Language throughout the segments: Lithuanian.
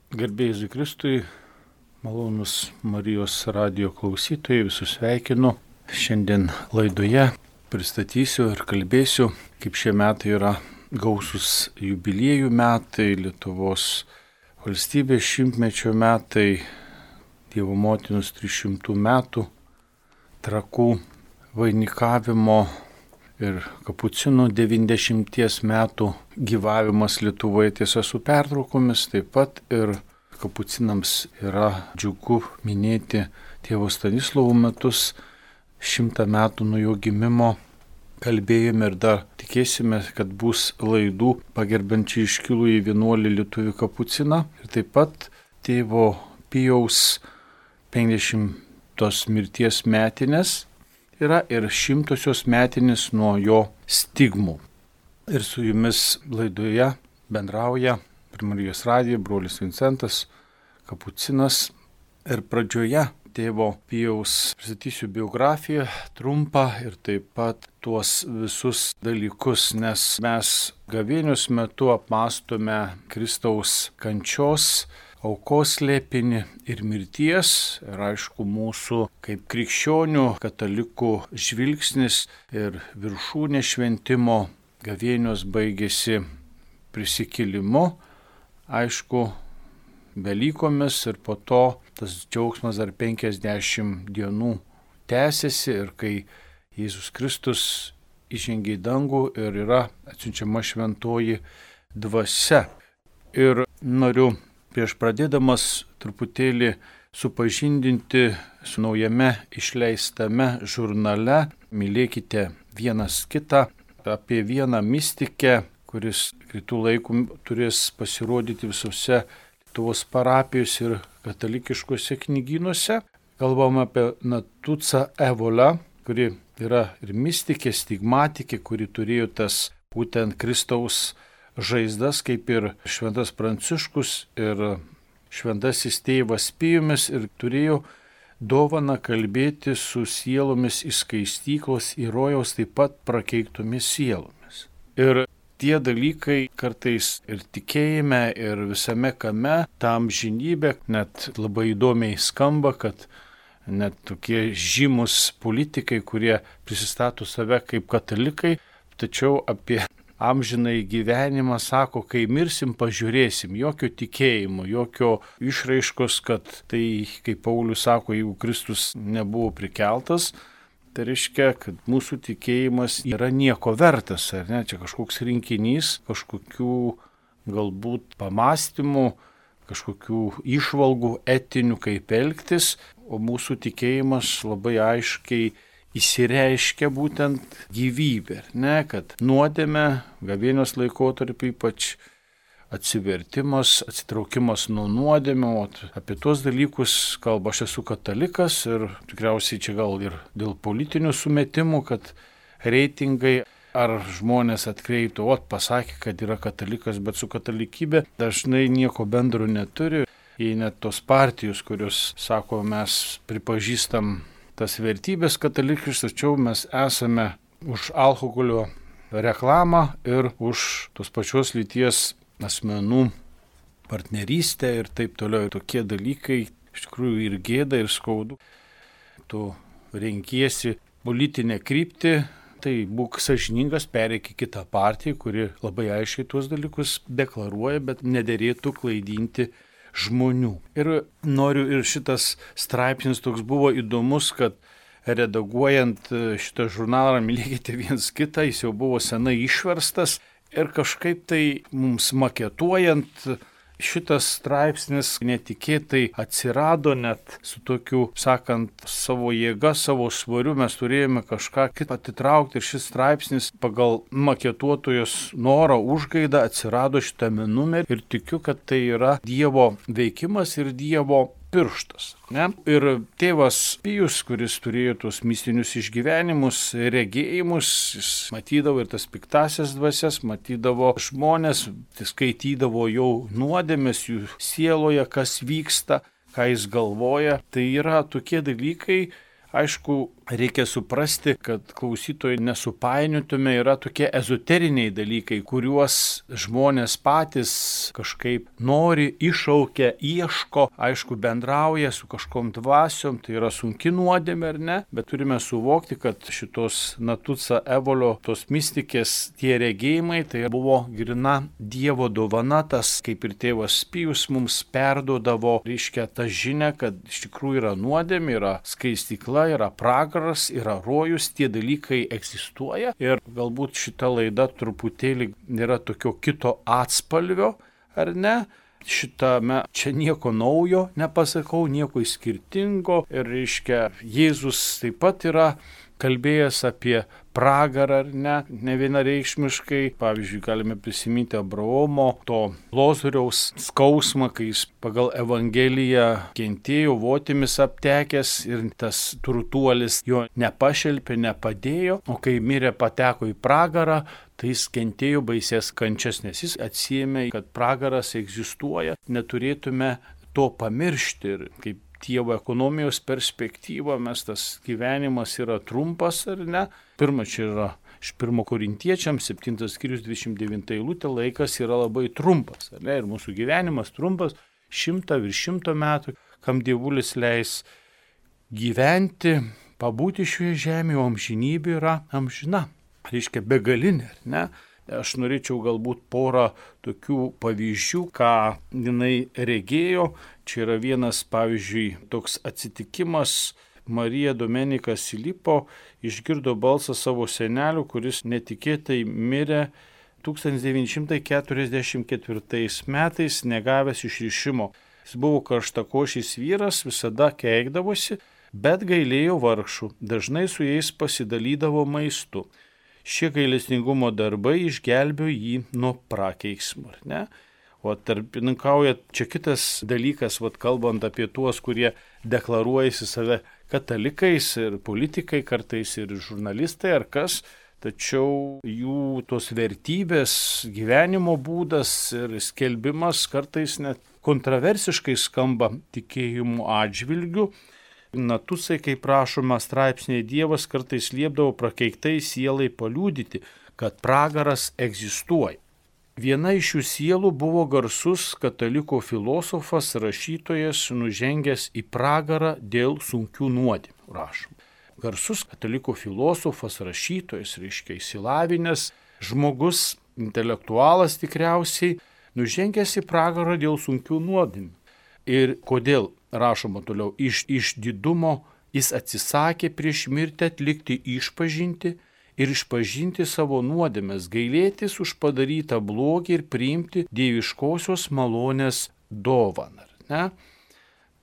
Garbėjai Jėzui Kristui, malonus Marijos radijo klausytojai, visus sveikinu. Šiandien laidoje pristatysiu ir kalbėsiu, kaip šie metai yra gausus jubiliejų metai, Lietuvos valstybės 100-mečio metai, Dievo motinos 300 metų, Trakų vainikavimo ir Kapucinų 90 metų gyvavimas Lietuvoje, tiesa su pertraukomis, taip pat ir Kapucinams yra džiugu minėti tėvo Stanislovo metus, 100 metų nuo jo gimimo. Kalbėjome ir dar tikėsime, kad bus laidų pagerbiančių iškilųjį vienuolį lietuvių Kapuciną ir taip pat tėvo Pijaus 50 mirties metinės. Yra ir 100-osios metinės nuo jo stigmų. Ir su jumis laidoje bendrauja per Marijos radiją brolis Vincentas Kapucinas. Ir pradžioje tėvo Pijaus pristatysiu biografiją trumpą ir taip pat tuos visus dalykus, nes mes gavėnios metu apmąstome Kristaus kančios, aukos slėpinį ir mirties, ir aišku mūsų kaip krikščionių, katalikų žvilgsnis ir viršūnė šventimo gavėnios baigėsi prisikėlimu, aišku, Velykomis ir po to tas džiaugsmas dar 50 dienų tęsiasi ir kai Jėzus Kristus įžengė į dangų ir yra atsiunčiama šventoji dvasia. Ir noriu prieš pradėdamas truputėlį supažindinti su naujame išleistame žurnale Mylėkite vienas kitą apie vieną mistikę, kuris kitų laikų turės pasirodyti visose Lietuvos parapijose ir katalikiškose knygynuose. Kalbam apie Natucą Evolą, kuri yra ir mistikė, stigmatikė, kuri turėjo tas būtent Kristaus žaizdas, kaip ir šventas Pranciškus ir šventasis tėvas Pijus, ir turėjo dovaną kalbėti su sielomis iš skaistyklos į rojaus taip pat prakeiktomis sielomis. Ir tie dalykai kartais ir tikėjime, ir visame kame, tam žinybė, net labai įdomiai skamba, kad net tokie žymus politikai, kurie prisistato save kaip katalikai, tačiau apie amžinai gyvenimą sako, kai mirsim, pažiūrėsim, jokio tikėjimo, jokio išraiškos, kad tai, kaip Paulius sako, jeigu Kristus nebuvo prikeltas, tai reiškia, kad mūsų tikėjimas yra nieko vertas, ar ne, čia kažkoks rinkinys, kažkokių galbūt pamastymų, kažkokių išvalgų etinių, kaip elgtis, o mūsų tikėjimas labai aiškiai įsireiškia būtent gyvybė, ne, kad nuodėmė, gavėnios laikotarpiu ypač atsivertimas, atsitraukimas nuo nuodėmio, apie tuos dalykus kalba. Aš esu katalikas ir tikriausiai čia gal ir dėl politinių sumetimų, kad reitingai ar žmonės atkreiptų, pasakė, kad yra katalikas, bet su katalikybė dažnai nieko bendro neturi. Jei net tos partijos, kurios sako, mes pripažįstam tas vertybės katalikiškas, tačiau mes esame už alkoholio reklamą ir už tos pačios lyties asmenų partnerystę ir taip toliau. Tokie dalykai iš tikrųjų ir gėda, ir skaudu. Tu renkiesi politinę kryptį, tai būk sąžiningas, pereik į kitą partiją, kuri labai aiškiai tuos dalykus deklaruoja, bet nederėtų klaidinti žmonių. Ir noriu, ir šitas straipsnis toks buvo įdomus, kad redaguojant šitą žurnalą Mylėkite vienas kitą, jis jau buvo senai išverstas ir kažkaip tai mums maketuojant šitas straipsnis netikėtai atsirado, net su tokiu, sakant, savo jėga, savo svariu mes turėjome kažką kitą atitraukti ir šis straipsnis pagal maketuotojos norą užgaidą atsirado šitame numerį ir tikiu, kad tai yra Dievo veikimas ir Dievo pirštas. Ne? Ir tėvas Pijus, kuris turėjo tuos mistinius išgyvenimus, regėjimus, jis matydavo ir tas piktasias dvasias, matydavo žmonės, skaitydavo jau nuodėmes jų sieloje, kas vyksta, ką jis galvoja. Tai yra tokie dalykai, Aišku, reikia suprasti, kad klausytojai nesupainiotume, yra tokie ezoteriniai dalykai, kuriuos žmonės patys kažkaip nori, iššaukia, ieško, aišku, bendrauja su kažkom dvasiom, tai yra sunki nuodėmė ar ne, bet turime suvokti, kad šitos Natuca Evolio, tos mistikės, tie regėjimai, tai buvo grina Dievo dovana, tas kaip ir tėvas Pijus mums perduodavo, reiškia tą žinią, kad iš tikrųjų yra nuodėmė, yra skaistykla, yra pragaras, yra rojus, tie dalykai egzistuoja ir galbūt šita laida truputėlį yra tokio kito atspalvio, ar ne? Šitame čia nieko naujo nepasakau, nieko skirtingo ir reiškia Jėzus taip pat yra kalbėjęs apie pragarą ar ne vienareikšmiškai. Pavyzdžiui, galime prisiminti Abraomo, to Lozoriaus skausmą, kai jis pagal Evangeliją kentėjo, votimis aptekęs ir tas turtuolis jo nepašelpė, nepadėjo, o kai mirė pateko į pragarą, tai jis kentėjo baisės kančias, nes jis atsiėmė, kad pragaras egzistuoja, neturėtume to pamiršti ir kaip Dievo ekonomijos perspektyva, mes tas gyvenimas yra trumpas ar ne. Pirma, čia yra iš 1 Korintiečiams 7 skyrius 29 eilutė, laikas yra labai trumpas, ar ne? Ir mūsų gyvenimas trumpas, 100 virš 100 metų, kam Dievulis leis gyventi, pabūti šioje žemėje, o amžinybė yra amžina, reiškia begalinė, ar ne? Aš norėčiau galbūt porą tokių pavyzdžių, ką jinai regėjo. Čia yra vienas, pavyzdžiui, toks atsitikimas. Marija Domenika Silipo išgirdo balsą savo senelių, kuris netikėtai mirė 1944 metais, negavęs išrišimo. Jis buvo karštakošis vyras, visada keikdavosi, bet gailėjo vargšų, dažnai su jais pasidalydavo maistu. Šie gailestingumo darbai išgelbėjo jį nuo prakeiksmo, ne? O tarpininkauja čia kitas dalykas, kalbant apie tuos, kurie deklaruojasi save katalikais ir politikai, kartais ir žurnalistai ar kas, tačiau jų tos vertybės, gyvenimo būdas ir skelbimas kartais net kontroversiškai skamba tikėjimų atžvilgiu. Natucai, kaip rašoma straipsnėje, Dievas kartais liepdavo prakeiktai sielai paliudyti, kad pragaras egzistuoja. Viena iš šių sielų buvo garsus katalikų filosofas, rašytojas, nužengęs į pragarą dėl sunkių nuodėmių, rašoma. Garsus katalikų filosofas, rašytojas, reiškia išsilavinęs žmogus, intelektualas tikriausiai, nužengęs į pragarą dėl sunkių nuodėmių. Ir kodėl? Rašoma toliau, iš didumo jis atsisakė prieš mirtį atlikti išpažintį ir išpažinti savo nuodėmes, gailėtis už padarytą blogį ir priimti dieviškosios malonės dovaną. Ne?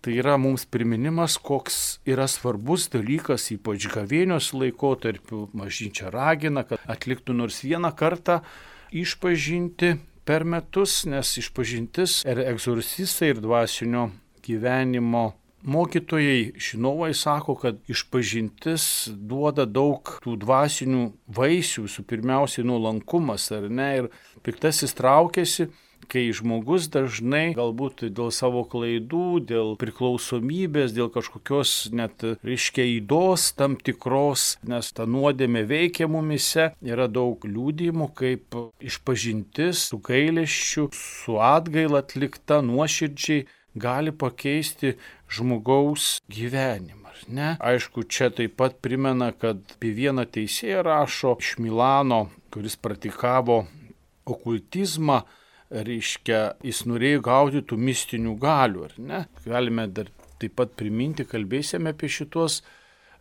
Tai yra mums priminimas, koks yra svarbus dalykas, ypač gavėnios laikotarpiu. Bažnyčia ragina, kad atliktų nors vieną kartą išpažinti per metus, nes išpažintis ir egzorcistai ir dvasinio gyvenimo mokytojai žinovai sako, kad išpažintis duoda daug tų dvasinių vaisių, visų pirmiausiai nuolankumas, ar ne, ir piktasis traukiasi, kai žmogus dažnai galbūt dėl savo klaidų, dėl priklausomybės, dėl kažkokios net reiškia ydos tam tikros, nes ta nuodėmė veikia mumise, yra daug liudijimų, kaip išpažintis su gailesčiu, su atgaila atlikta nuoširdžiai gali pakeisti žmogaus gyvenimą. Ne? Aišku, čia taip pat primena, kad apie vieną teisėją rašo iš Milano, kuris praktikavo okultizmą, reiškia, jis norėjo gauti tų mistinių galių, ar ne? Galime dar taip pat priminti, kalbėsime apie šitos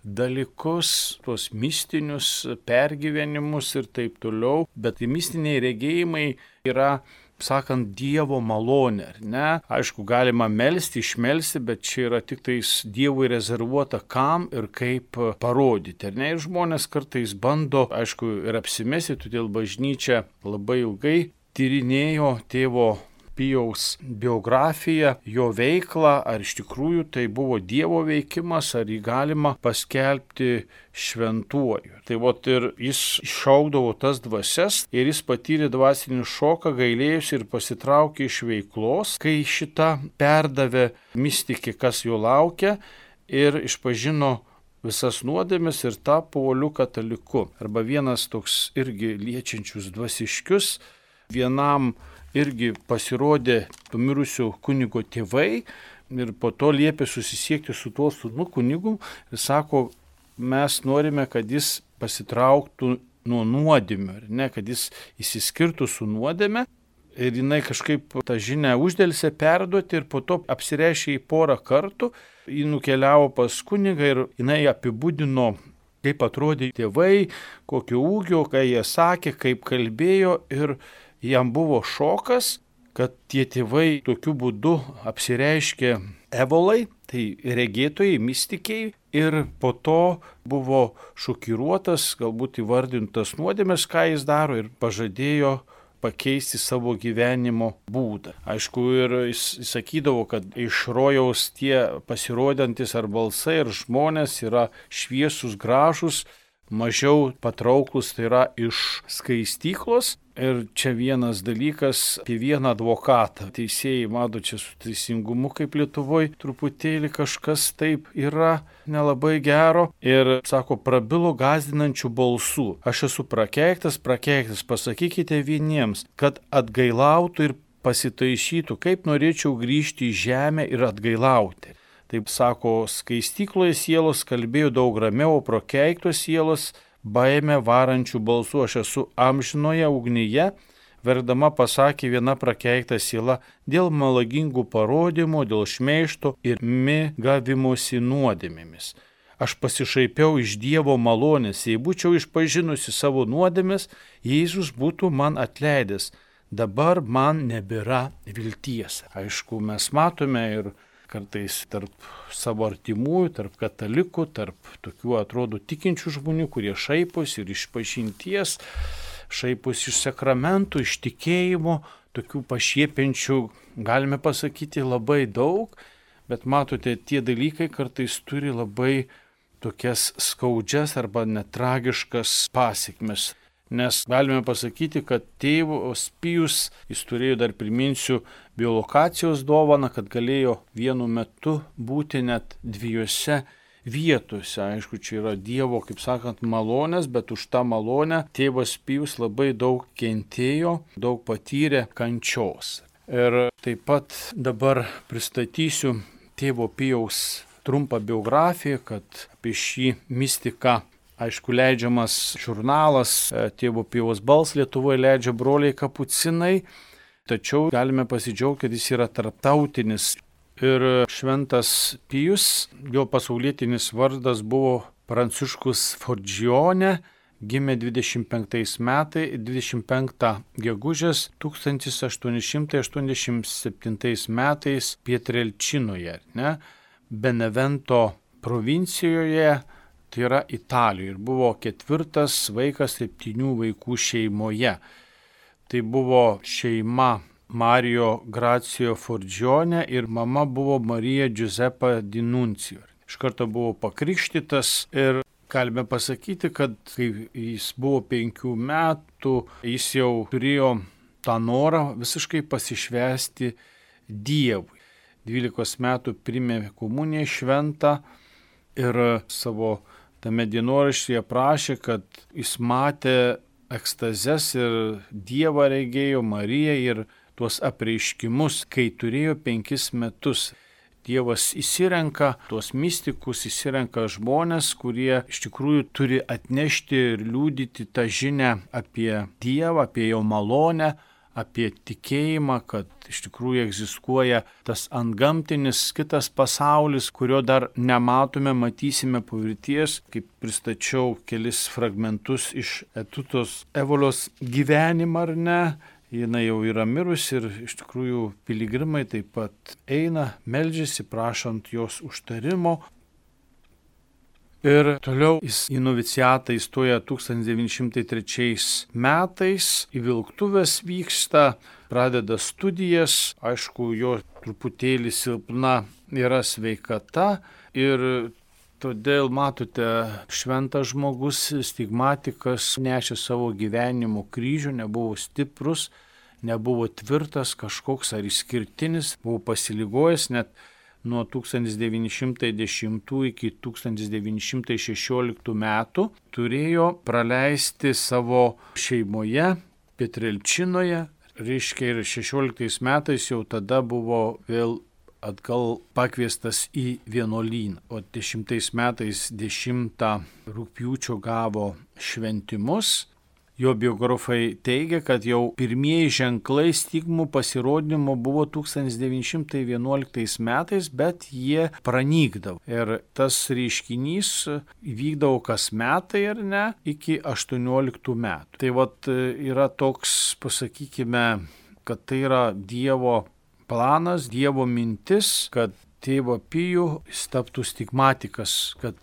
dalykus, tuos mistinius pergyvenimus ir taip toliau, bet mistiniai regėjimai yra, sakant, Dievo malonė, ar ne? Aišku, galima melsti, išmelsti, bet čia yra tik tais Dievui rezervuota, kam ir kaip parodyti, ar ne? Ir žmonės kartais bando, aišku, ir apsimesti, todėl bažnyčia labai ilgai tyrinėjo tėvo Pijaus biografiją, jo veiklą, ar iš tikrųjų tai buvo Dievo veikimas, ar jį galima paskelbti šventuoju. Tai vot ir jis iššaukdavo tas dvasias ir jis patyrė dvasinį šoką, gailėjusi ir pasitraukė iš veiklos, kai šitą perdavė mistikė, kas jo laukia, ir išpažino visas nuodėmes ir tapo uoliu kataliku. Arba vienas toks irgi liečiančius dvasiškius, vienam irgi pasirodė mirusių kunigo tėvai ir po to liepė susisiekti su tuo sūnų kunigu ir sako, mes norime, kad jis pasitrauktų nuo nuodėmių, ar ne, kad jis išsiskirtų su nuodėme. Ir jinai kažkaip tą žinią uždelsė perduoti ir po to apsireiškė į porą kartų. Ji nukeliavo pas kunigą ir jinai apibūdino, kaip atrodė tėvai, kokio ūgio, ką jie sakė, kaip kalbėjo. Ir jam buvo šokas, kad tie tėvai tokiu būdu apsireiškė evolai, tai regėtojai, mystikiai. Ir po to buvo šokiruotas, galbūt įvardintas nuodėmes, ką jis daro ir pažadėjo pakeisti savo gyvenimo būdą. Aišku, ir jis sakydavo, kad iš rojaus tie pasirodantis ar balsai, ar žmonės yra šviesus, gražus, mažiau patrauklus, tai yra iš skaistyklos. Ir čia vienas dalykas apie vieną advokatą. Teisėjai, mato, čia su teisingumu kaip Lietuvoje truputėlį kažkas taip yra nelabai gero. Ir sako, prabilo gąsdinančių balsų. Aš esu prakeiktas, pasakykite vieniems, kad atgailautų ir pasitaisytų, kaip norėčiau grįžti į žemę ir atgailauti. Taip sako, skaistykloje sielos kalbėjo daug ramiau, o prakeiktos sielos baime varančių balsų. Aš esu amžinoje ugnyje, verdama pasakė viena prakeikta siela, dėl melagingų parodymų, dėl šmeižto ir mėgavimosi nuodėmėmis. Aš pasišaipiau iš Dievo malonės, jei būčiau išpažinusi savo nuodėmes, Jėzus būtų man atleidęs. Dabar man nebėra vilties. Aišku, mes matome ir kartais tarp savo artimųjų, tarp katalikų, tarp tokių atrodo tikinčių žmonių, kurie šaiposi ir iš pažinties, šaiposi iš sakramentų, iš tikėjimo, tokių pašiepiančių, galime pasakyti, labai daug, bet matote, tie dalykai kartais turi labai tokias skaudžias arba netragiškas pasekmes. Nes galime pasakyti, kad tėvas Pijus, jis turėjo, dar priminsiu, biolokacijos dovaną, kad galėjo vienu metu būti net dviejose vietose. Aišku, čia yra Dievo, kaip sakant, malonės, bet už tą malonę tėvas Pijus labai daug kentėjo, daug patyrė kančios. Ir taip pat dabar pristatysiu tėvo Pijaus trumpą biografiją, kad apie šį mistiką, aišku, leidžiamas žurnalas Tėvo Pijaus Balsas Lietuvoje leidžia broliai kapucinai, tačiau galime pasidžiaugti, kad jis yra tarptautinis. Ir šventas Pijus, jo pasaulietinis vardas buvo Pranciškus Forgione, gimė 25 gegužės 1887 metais Pietrelčinoje, Benevento provincijoje, tai yra Italijoje, ir buvo 4. vaikas 7 vaikų šeimoje. Tai buvo šeima Mario Gracio Forgione ir mama buvo Marija Giuseppa Dinuncijo. Iš karto buvo pakrikštytas ir galime pasakyti, kad kai jis buvo 5 metų, jis jau turėjo tą norą visiškai pasišvęsti Dievui. 12 metų priėmė komuniją šventą ir savo tame dienoraštyje prašė, kad jis matė ekstazes ir Dievą regėjo, Mariją ir tuos apreiškimus, kai turėjo 5 metus. Dievas įsirenka tuos mistikus, įsirenka žmonės, kurie iš tikrųjų turi atnešti ir liudyti tą žinią apie Dievą, apie jo malonę, apie tikėjimą, kad iš tikrųjų egzistuoja tas antgamtinis kitas pasaulis, kurio dar nematome, matysime po mirties, kaip pristačiau kelis fragmentus iš Etutos Evolios gyvenimą, ar ne. Jinai jau yra mirusi ir iš tikrųjų piligrimai taip pat eina, meldžiasi, prašant jos užtarimo. Ir toliau jis į noviciatą įstoja 1903 metais, į Vilktuvės vyksta, pradeda studijas, aišku, jo truputėlį silpna yra sveikata ir todėl, matote, šventas žmogus, stigmatikas, nešė savo gyvenimo kryžių, nebuvo stiprus, nebuvo tvirtas, kažkoks ar išskirtinis, buvo pasiligojęs, net nuo 1910 iki 1916 metų turėjo praleisti savo šeimoje, Petrelčinoje, reiškia ir 16 metais jau tada buvo vėl atgal pakviestas į vienuolyną, o 10 metais 10 rugpjūčio gavo šventimus. Jo biografai teigia, kad jau pirmieji ženklai stigmų pasirodymo buvo 1911 metais, bet jie pranykdavo. Ir tas reiškinys vykdavo kas metai ar ne, iki 18 metų. Tai vat yra toks, pasakykime, kad tai yra Dievo planas, Dievo mintis, kad tėvą Pijų jis taptų stigmatikas, kad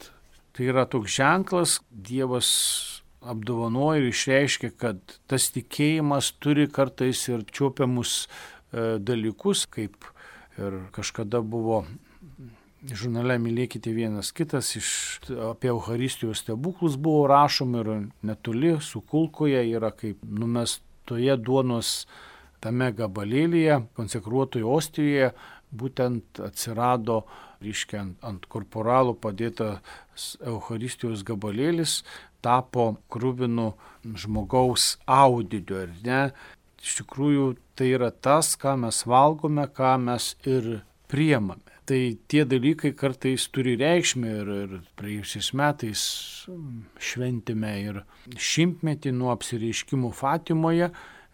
tai yra toks ženklas, Dievas apdovanoja ir išreiškia, kad tas tikėjimas turi kartais ir čiopiamus dalykus, kaip ir kažkada buvo žurnale Mylėkite vienas kitas, apie Eucharistijos stebuklus buvo rašoma ir netoli Sukulkoje yra kaip numestoje duonos tame gabalėlyje, konsekruotoje ostijoje, būtent atsirado, reiškia, ant korporalų padėtas Eucharistijos gabalėlis, tapo kruvinu žmogaus audiniu, ar ne? Iš tikrųjų, tai yra tas, ką mes valgome, ką mes ir priemame. Tai tie dalykai kartais turi reikšmę ir praėjusiais metais šventėme ir 100-metį nuo apsireiškimų Fatimoje.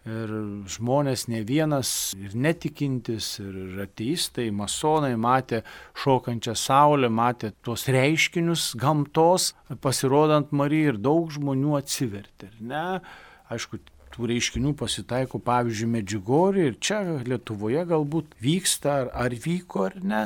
Ir žmonės ne vienas ir netikintis, ir ateistai, masonai matė šokančią saulę, matė tuos reiškinius gamtos, pasirodant Marijai ir daug žmonių atsivertė. Ne? Aišku, tų reiškinių pasitaiko, pavyzdžiui, Medžiugorje ir čia Lietuvoje galbūt vyksta ar vyko ar ne.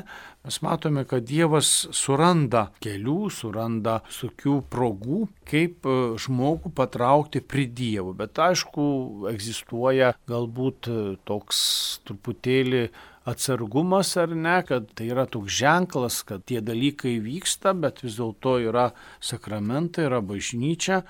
Mes matome, kad Dievas suranda kelių, suranda tokių progų, kaip žmogų patraukti prie Dievo. Bet aišku, egzistuoja galbūt toks truputėlį atsargumas ar ne, kad tai yra toks ženklas, kad tie dalykai vyksta, bet vis dėlto yra sakramentai, yra bažnyčia.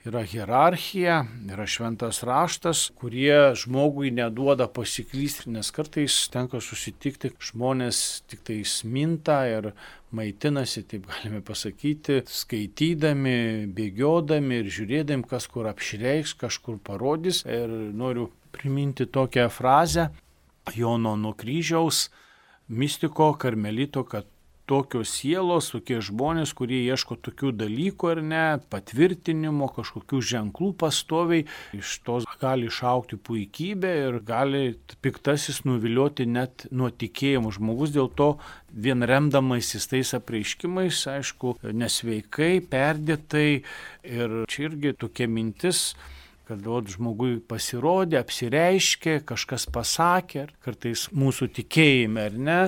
Yra hierarchija, yra šventas raštas, kurie žmogui neduoda pasiklysti, nes kartais tenka susitikti, žmonės tik tai minta ir maitinasi, taip galime pasakyti, skaitydami, bėgiodami ir žiūrėdami, kas kur apšreiks, kažkur parodys. Ir noriu priminti tokią frazę Jono nuo kryžiaus, mistiko karmelito, kad tokios sielos, tokie žmonės, kurie ieško tokių dalykų ar ne, patvirtinimo, kažkokių ženklų pastoviai, iš tos gali išaukti puikybė ir gali piktasis nuvilioti net nuo tikėjimo. Žmogus dėl to vien remdamasis tais apreiškimais, aišku, nesveikai, perdėtai ir čia irgi tokia mintis, kad žmogui pasirodė, apsireiškė, kažkas pasakė, kartais mūsų tikėjime ar ne,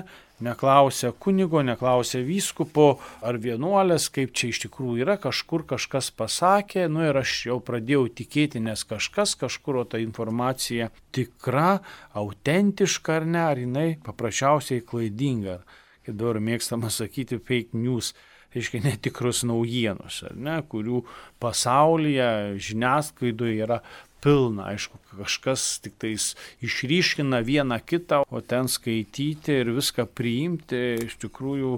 neklausia kunigo, neklausia vyskupo ar vienuolės, kaip čia iš tikrųjų yra, kažkur kažkas pasakė, ir aš jau pradėjau tikėti, nes kažkur, o ta informacija tikra, autentiška ar ne, ar jinai paprasčiausiai klaidinga, kaip dabar mėgstama sakyti, fake news. Reiškia netikrus naujienos, ar ne, kurių pasaulyje, žiniasklaidoje yra pilna. Aišku, kažkas tik tais išryškina vieną kitą, o ten skaityti ir viską priimti iš tikrųjų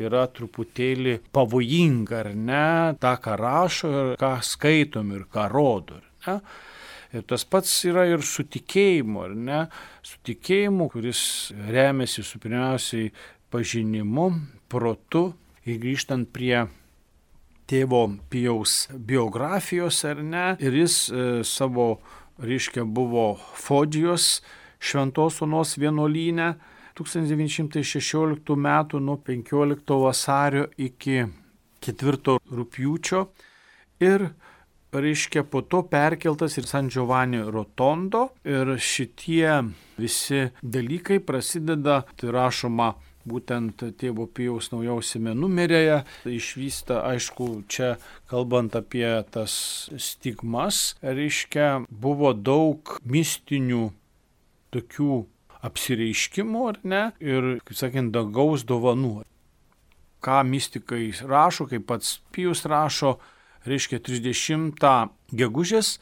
yra truputėlį pavojinga, ar ne, tą, ką rašo ir ką skaitom ir ką rodo, ar ne. Ir tas pats yra ir su tikėjimu, ar ne, su tikėjimu, kuris remiasi su pirmiausiai pažinimu, protu. Ir grįžtant prie tėvo Pijaus biografijos, ar ne, ir jis savo, reiškia, buvo Fogijos Šventos Onos vienuolyne 1916 metų nuo 15 vasario iki 4 rugpjūčio ir, reiškia, po to perkeltas ir San Giovanni Rotondo ir šitie visi dalykai prasideda, tai rašoma, būtent tėvo Pijaus naujausiame numeryje išvysta, aišku, čia kalbant apie tas stigmas, reiškia, buvo daug mistinių tokių apsireiškimų, ar ne, ir, kaip sakant, dangaus dovanų. Ką mistikai rašo, kaip pats Pijus rašo, reiškia 30 gegužės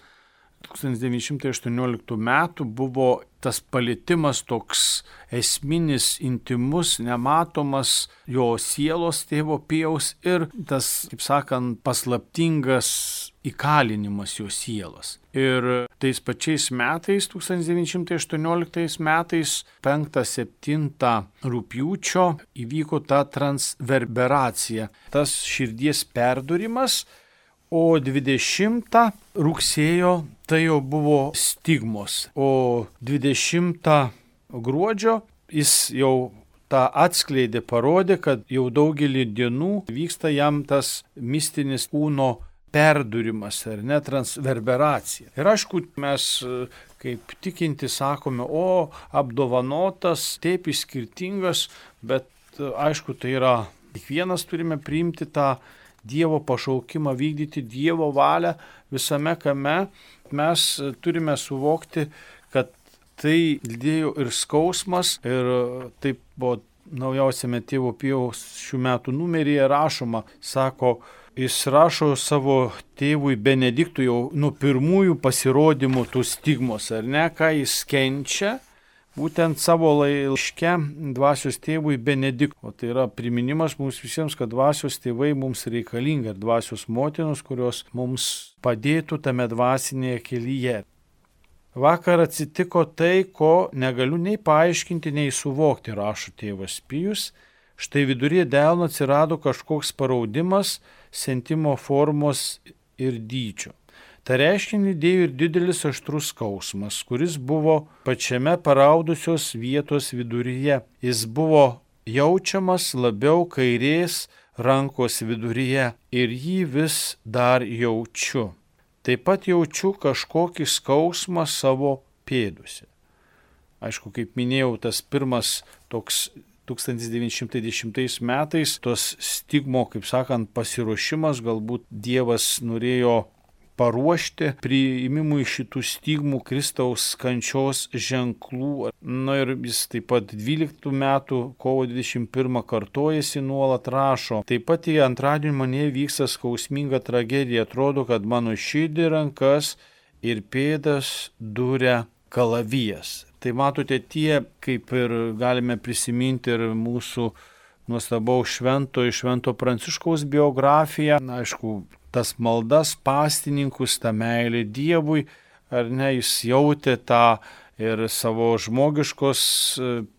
1918 metų buvo tas palietimas toks esminis, intimus, nematomas jo sielos tėvo Pijaus ir tas, kaip sakant, paslaptingas įkalinimas jo sielos. Ir tais pačiais metais, 1918 metais, 5-7 rugpjūčio įvyko ta transverberacija, tas širdies perdurimas, o 20 rugsėjo tai jau buvo stigmos, o 20 gruodžio jis jau tą atskleidė, parodė, kad jau daugelį dienų vyksta jam tas mistinis kūno perdurimas, ar ne, transverberacija. Ir aišku, mes kaip tikinti sakome, o apdovanotas, taip skirtingas, bet aišku, tai yra, kiekvienas turime priimti tą Dievo pašaukimą, vykdyti Dievo valią visame kame. Mes turime suvokti, kad tai lydėjo ir skausmas, ir taip buvo naujausiame tėvo Pijaus šių metų numeryje rašoma, sako, jis rašo savo tėvui Benediktui jau nuo pirmųjų pasirodymų tų stigmos, ar ne, ką jis kenčia, būtent savo laiške dvasios tėvui Benediktui. O tai yra priminimas mums visiems, kad dvasios tėvai mums reikalingi ir dvasios motinos, kurios mums padėtų tame dvasinėje kelyje. Vakar atsitiko tai, ko negaliu nei paaiškinti, nei suvokti, rašo tėvas Pijus. Štai viduryje delno atsirado kažkoks paraudimas, sentimo formos ir dydžio. Ta reiškinį dėjo ir didelis aštrus skausmas, kuris buvo pačiame paraudusios vietos viduryje. Jis buvo jaučiamas labiau kairės rankos viduryje ir jį vis dar jaučiu. Taip pat jaučiu kažkokį skausmą savo pėduose. Aišku, kaip minėjau, tas pirmas toks 1910 metais, tos stigmo, kaip sakant, pasiruošimas, galbūt Dievas norėjo paruošti priimimui šitų stigmų Kristaus kančios ženklų. Na ir jis taip pat 12 metų kovo 21 kartojasi nuolat rašo. Taip pat į antradienį mane vyksta skausminga tragedija. Atrodo, kad mano širdį, rankas ir pėdas duria kalavijas. Tai matote, tie, kaip ir galime prisiminti ir mūsų nuostabaus švento Pranciškaus biografiją, na, aišku, tas maldas pastininkus, tą meilę Dievui, ar ne, jis jautė tą ir savo žmogiškos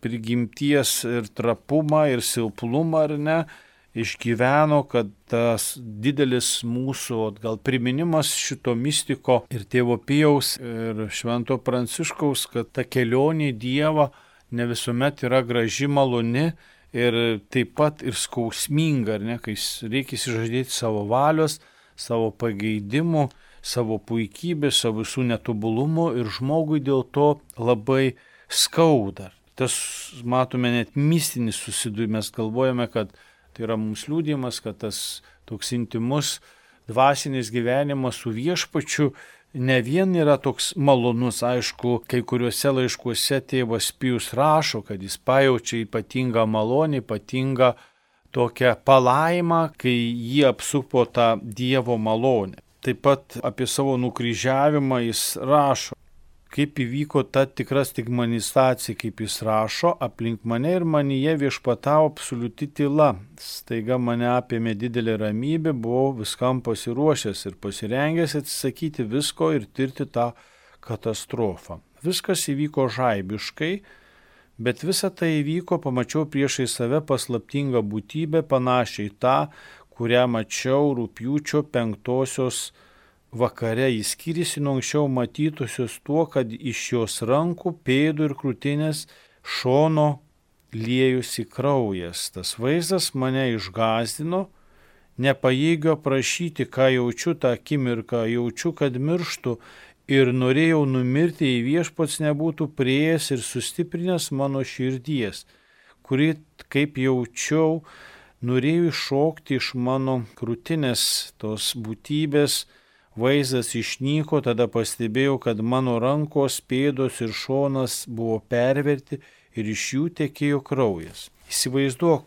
prigimties ir trapumą ir silpnumą, ar ne, išgyveno, kad tas didelis mūsų gal priminimas šito mistiko ir tėvo Pijaus ir švento Pranciškaus, kad ta kelionė į Dievą ne visuomet yra graži, maloni ir taip pat ir skausminga, ar ne, kai reikia išsižadėti savo valios, savo pageidimų, savo puikybės, savo visų netobulumų ir žmogui dėl to labai skauda. Tas, matome, net mistinis susidūrimas, galvojame, kad tai yra mums liudijimas, kad tas toks intimus dvasinis gyvenimas su viešpačiu ne vien yra toks malonus, aišku, kai kuriuose laiškuose tėvas Pijus rašo, kad jis pajaučia ypatingą malonę, ypatingą tokią palaimą, kai jį apsupo tą Dievo malonę. Taip pat apie savo nukryžiavimą jis rašo, kaip įvyko ta tikra stigmatizacija, kaip jis rašo, aplink mane ir manyje viešpatavo absoliuti tyla. Staiga mane apėmė didelė ramybė, buvau viskam pasiruošęs ir pasirengęs atsisakyti visko ir tirti tą katastrofą. Viskas įvyko žaibiškai, bet visa tai įvyko, pamačiau priešai save paslaptingą būtybę, panašiai tą, kurią mačiau rugpjūčio 5 vakare. Jis skyrėsi nuo anksčiau matytusios tuo, kad iš jos rankų, pėdų ir krūtinės šono liejusi kraujas. Tas vaizdas mane išgąsdino, nepajėgiu aprašyti, ką jaučiu tą akimirką, jaučiu, kad mirštu ir norėjau numirti, jei viešpats nebūtų priėjęs ir sustiprinęs mano širdies, kuri, kaip jaučiau, norėjo iššokti iš mano krūtinės tos būtybės. Vaizdas išnyko, tada pastebėjau, kad mano rankos, pėdos ir šonas buvo perverti ir iš jų tekėjo kraujas. Įsivaizduok,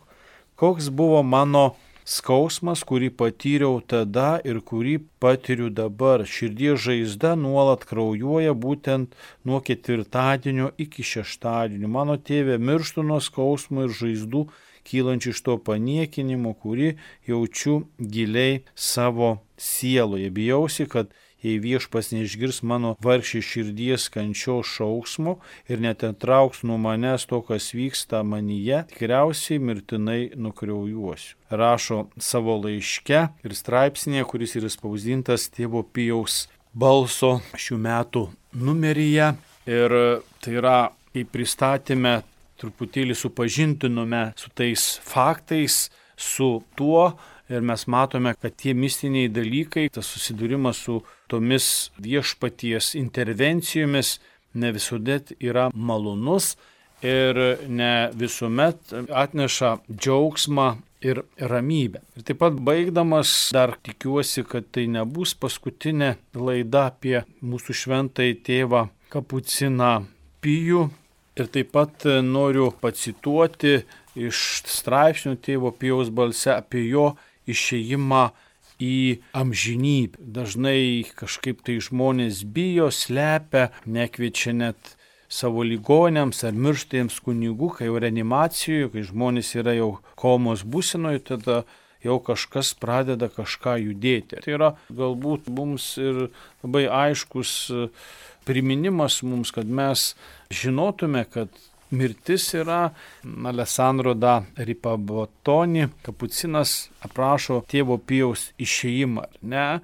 koks buvo mano skausmas, kurį patyriau tada ir kurį patiriu dabar. Širdies žaizda nuolat kraujuoja būtent nuo ketvirtadienio iki šeštadienio. Mano tėve, mirštu nuo skausmo ir žaizdų kylančių iš to paniekinimo, kurį jaučiu giliai savo sieloje. Bijausi, kad jei Viešpats neišgirs mano vargšės širdies kančios šauksmo ir neatitrauks nuo manęs to, kas vyksta manyje, tikriausiai mirtinai nukraujuosiu. Rašo savo laiške ir straipsnėje, kuris yra spausdintas Tėvo Pijaus balso šių metų numeryje. Ir tai yra, kai pristatėme, truputėlį supažintinome su tais faktais, su tuo, ir mes matome, kad tie mistiniai dalykai, tas susidūrimas su tomis Viešpaties intervencijomis ne visuomet yra malonus ir ne visuomet atneša džiaugsmą ir ramybę. Ir taip pat baigdamas dar tikiuosi, kad tai nebus paskutinė laida apie mūsų šventąjį tėvą Kapuciną Pijų. Ir taip pat noriu pacituoti iš straipsnių Tėvo Pijaus balse apie jo išėjimą į amžinybę. Dažnai kažkaip tai žmonės bijo, slepia, nekviečia net savo ligoniams ar mirštiems kunigų, kai jau reanimacijoje, kai žmonės yra jau komos būsenoje, tada jau kažkas pradeda kažką judėti. Tai yra galbūt mums ir labai aiškus priminimas mums, kad mes žinotume, kad mirtis yra. Alessandro da Ripabotoni, Kapucinas, aprašo Tėvo Pijaus išėjimą. Ne?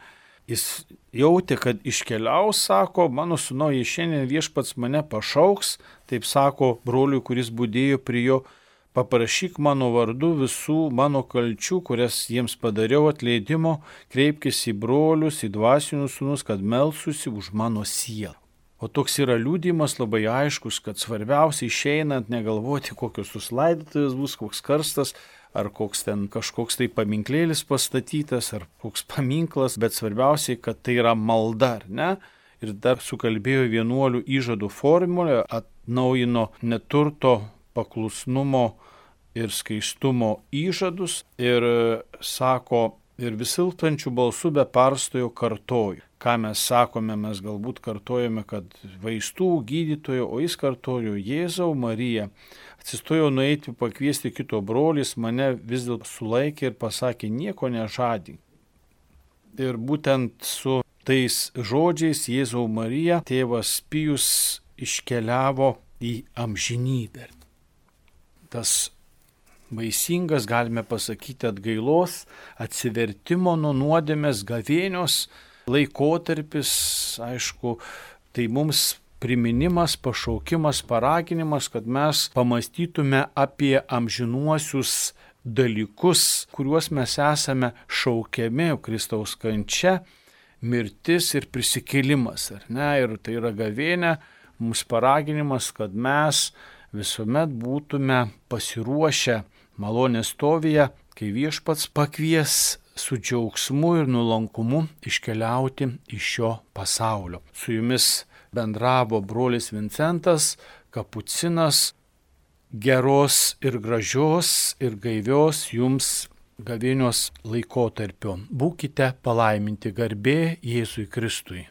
Jis jautė, kad iškeliaus, sako, mano sūnau, jei šiandien Viešpats mane pašauks, taip sako broliui, kuris budėjo prie jo, paprašyk mano vardu visų mano kalčių, kurias jiems padariau atleidimo, kreipkis į brolius, į dvasinius sūnus, kad melsusi už mano sielą. O toks yra liudijimas labai aiškus, kad svarbiausia išeinant negalvoti, kokios tos laidotuvės bus, koks karstas, ar koks ten kažkoks tai paminklėlis pastatytas, ar koks paminklas, bet svarbiausiai, kad tai yra malda, ar ne? Ir dar sukalbėjo vienuolių įžadų formulę, atnaujino neturto, paklusnumo ir skaistumo įžadus ir sako, ir visiltančių balsų be perstojo kartoju. Ką mes sakome, mes galbūt kartojame, kad vaistų gydytojo, o jis kartojo Jėzau Marija. Atsistojo nueiti pakviesti kito brolis, mane vis dėlto sulaikė ir pasakė, nieko nežadink. Ir būtent su tais žodžiais Jėzau Marija tėvas Pijus iškeliavo į amžinybę. Tas vaisingas, galime pasakyti, atgailos, atsivertimo nuo nuodėmės, gavėnios laikotarpis, aišku, tai mums priminimas, pašaukimas, paraginimas, kad mes pamastytume apie amžinuosius dalykus, kuriuos mes esame šaukiami, Kristaus kančia, mirtis ir prisikėlimas, ar ne? Ir tai yra gavėnia, mums paraginimas, kad mes visuomet būtume pasiruošę malonės stovyje, kai Viešpats pakvies su džiaugsmu ir nuolankumu iškeliauti iš šio pasaulio. Su jumis bendravo brolis Vincentas, Kapucinas. Geros ir gražios ir gaivios jums gavėnios laikotarpio. Būkite palaiminti, garbė Jėzui Kristui.